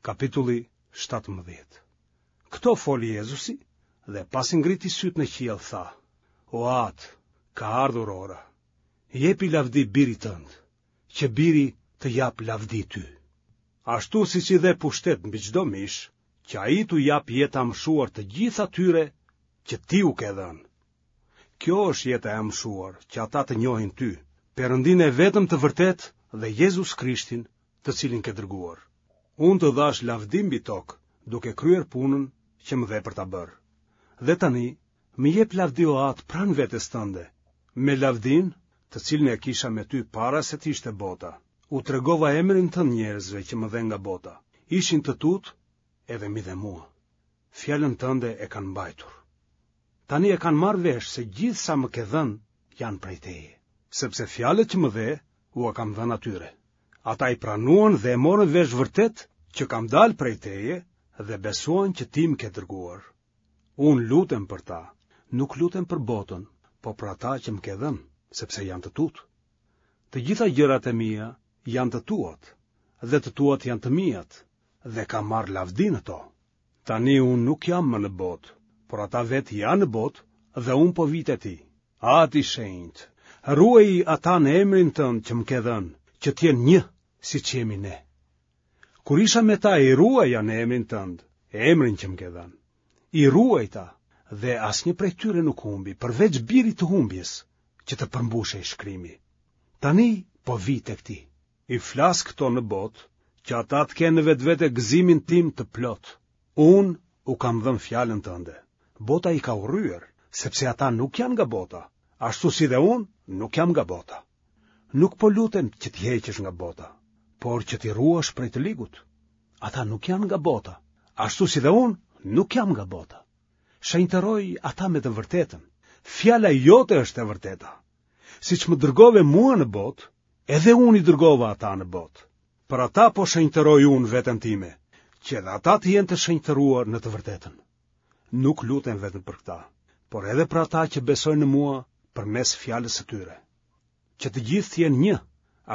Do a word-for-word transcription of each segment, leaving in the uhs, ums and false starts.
Kapitulli shtatëmbëdhjetë. Këto foli Jezusi dhe pasi ngriti sytë në qiell tha: O Atë, ka ardhur ora. Jepi lavdi birit tënd, që biri të japë lavdi ty. Ashtu siç i dhe pushtet mbi çdo mish, që ai t'u japë jetë të amshuar të gjithë atyre që ti u ke dhënë. Kjo është jeta e amshuar, që ata të njohin ty, Perëndinë e vetëm të vërtetë dhe Jezus Krishtin, të cilin ke dërguar. Unë të dhashë lavdi mbi tokë, duke kryer punën që më dhe për ta bërë. Dhe tani, më jep lavdi o Atë pranë vetes tënde, me lavdinë, të cilën e kisha me ty para se të ishte bota. U tregova emrin tënd njerëzve që më dhe nga bota. Ishin të tutë edhe m'i dhe mua. Fjalën tënde e kanë mbajtur. Tani e kanë marrë vesh se gjithë sa më ke dhënë janë prej teje, sepse fjalët që më dhe ua kam dhënë atyre. Ata i pranuan dhe e morën vesh vërtet që kam dalë prej teje dhe besuan që ti më ke dërguar. Unë lutem për ta, nuk lutem për botën, po për ata që më ke dhënë, sepse janë të tutë. Të gjitha gjërat e mia janë të tuat, dhe të tuat janë të miat, dhe kam marrë lavdi në to. Tani unë nuk jam më në botë, por ata vetë janë në botë dhe unë po vij te ti. Atë i shenjtë, ruaji ata në emrin tënd që më ke dhënë, që të jenë një, siç jemi ne. Kur isha me ta i ruaja në emrin tënd, emrin që më ke dhënë. I ruajta dhe asnjë prej tyre nuk humbi, përveç birit të humbjes, që të përmbushej shkrimi. Tani po vij tek ti. I flas këto në botë, që ata të kenë në vetvete gëzimin tim të plotë. Unë u kam dhënë fjalën tënde. Bota i ka urryer, sepse ata nuk janë nga bota, ashtu si dhe unë nuk jam nga bota. Nuk po lutem që t'i heqësh nga bota, por që t'i ruash prej të ligut. Ata nuk janë nga bota, ashtu si dhe unë nuk jam nga bota. Shenjtëroj ata me të vërtetën. Fjala jote është e vërteta. Siç më dërgove mua në botë, edhe unë i dërgova ata në botë. Për ata po shenjtëroj unë veten time, që edhe ata të jenë të shenjtëruar në të vërtetën. Nuk lutem vetëm për këta, por edhe për ata që besojnë në mua përmes fjalës së tyre. Që të gjithë të jenë një,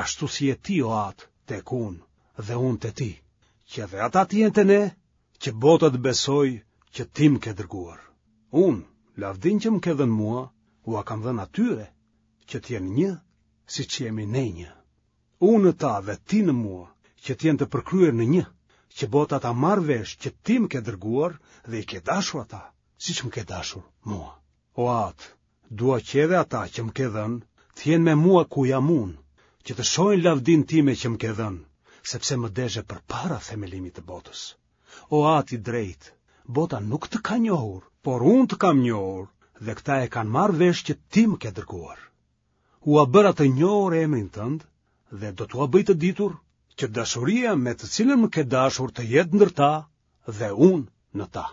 ashtu si je ti o Atë tek unë dhe unë te ti, që edhe ata të jenë te ne, që bota të besojë që ti më ke dërguar. Unë, lavdinë që më ke dhënë mua, ua kam dhënë atyre, që të jenë një, siç jemi ne një. Unë në ta dhe ti në mua, që të jenë të përkryer në një, që bota ta marrë vesh që ti më ke dërguar dhe i ke dashur ata, siç më ke dashur mua. O Atë, dua që edhe ata që më ke dhënë, të jenë me mua ku jam unë, që të shohin lavdinë time që më ke dhënë, sepse më deshe përpara themelimit të botës. O Atë i drejtë, bota nuk të ka njohur, por unë të kam njohur, dhe këta e kanë marrë vesh që ti më ke dërguar. Ua bëra të njohur emrin tënd dhe do t'ua bëj të ditur që dashuria me të cilën më ke dashur të jetë ndër ta dhe unë në ta.